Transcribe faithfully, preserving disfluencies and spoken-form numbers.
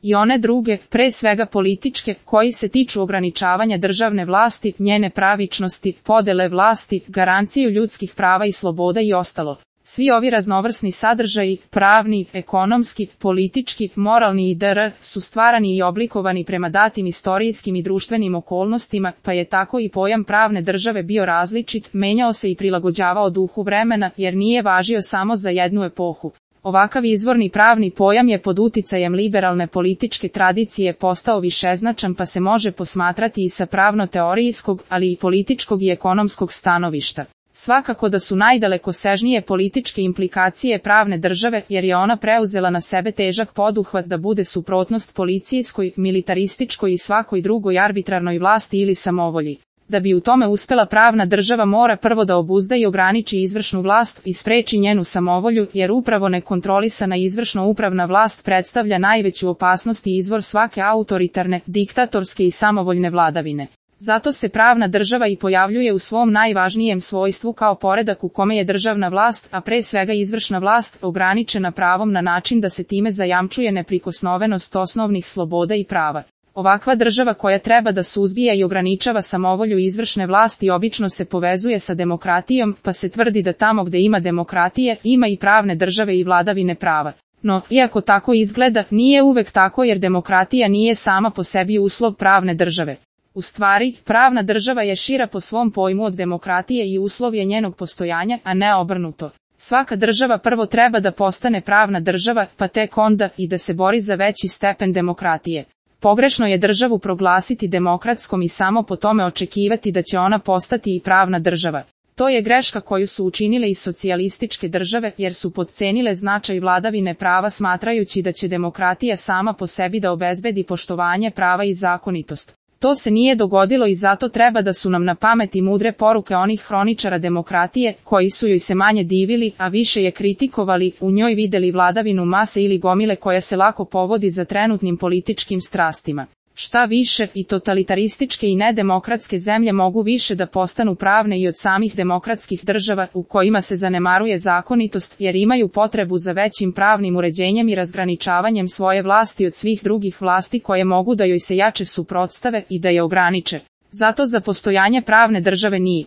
i one druge, pre svega političke, koji se tiču ograničavanja državne vlasti, njene pravičnosti, podele vlasti, garanciju ljudskih prava i sloboda i ostalo. Svi ovi raznovrsni sadržaji, pravni, ekonomski, politički, moralni itd. su stvarani i oblikovani prema datim istorijskim i društvenim okolnostima, pa je tako i pojam pravne države bio različit, menjao se i prilagođavao duhu vremena, jer nije važio samo za jednu epohu. Ovakav izvorni pravni pojam je pod uticajem liberalne političke tradicije postao višeznačan, pa se može posmatrati i sa pravno-teorijskog, ali i političkog i ekonomskog stanovišta. Svakako da su najdalekosežnije političke implikacije pravne države, jer je ona preuzela na sebe težak poduhvat da bude suprotnost policijskoj, militarističkoj i svakoj drugoj arbitrarnoj vlasti ili samovolji. Da bi u tome uspela, pravna država mora prvo da obuzda i ograniči izvršnu vlast i spreči njenu samovolju, jer upravo nekontrolisana izvršno-upravna vlast predstavlja najveću opasnost i izvor svake autoritarne, diktatorske i samovoljne vladavine. Zato se pravna država i pojavljuje u svom najvažnijem svojstvu kao poredak u kome je državna vlast, a pre svega izvršna vlast, ograničena pravom na način da se time zajamčuje neprikosnovenost osnovnih sloboda i prava. Ovakva država koja treba da suzbija i ograničava samovolju izvršne vlasti obično se povezuje sa demokratijom, pa se tvrdi da tamo gde ima demokratije, ima i pravne države i vladavine prava. No, iako tako izgleda, nije uvek tako, jer demokratija nije sama po sebi uslov pravne države. U stvari, pravna država je šira po svom pojmu od demokratije i uslov je njenog postojanja, a ne obrnuto. Svaka država prvo treba da postane pravna država, pa tek onda i da se bori za veći stepen demokratije. Pogrešno je državu proglasiti demokratskom i samo po tome očekivati da će ona postati i pravna država. To je greška koju su učinile i socijalističke države, jer su potcenile značaj vladavine prava smatrajući da će demokratija sama po sebi da obezbedi poštovanje prava i zakonitost. To se nije dogodilo i zato treba da su nam na pamet i mudre poruke onih hroničara demokratije, koji su joj se manje divili, a više je kritikovali, u njoj videli vladavinu mase ili gomile koja se lako povodi za trenutnim političkim strastima. Šta više, i totalitarističke i nedemokratske zemlje mogu više da postanu pravne i od samih demokratskih država, u kojima se zanemaruje zakonitost, jer imaju potrebu za većim pravnim uređenjem i razgraničavanjem svoje vlasti od svih drugih vlasti koje mogu da joj se jače suprotstave i da je ograniče. Zato za postojanje pravne države nije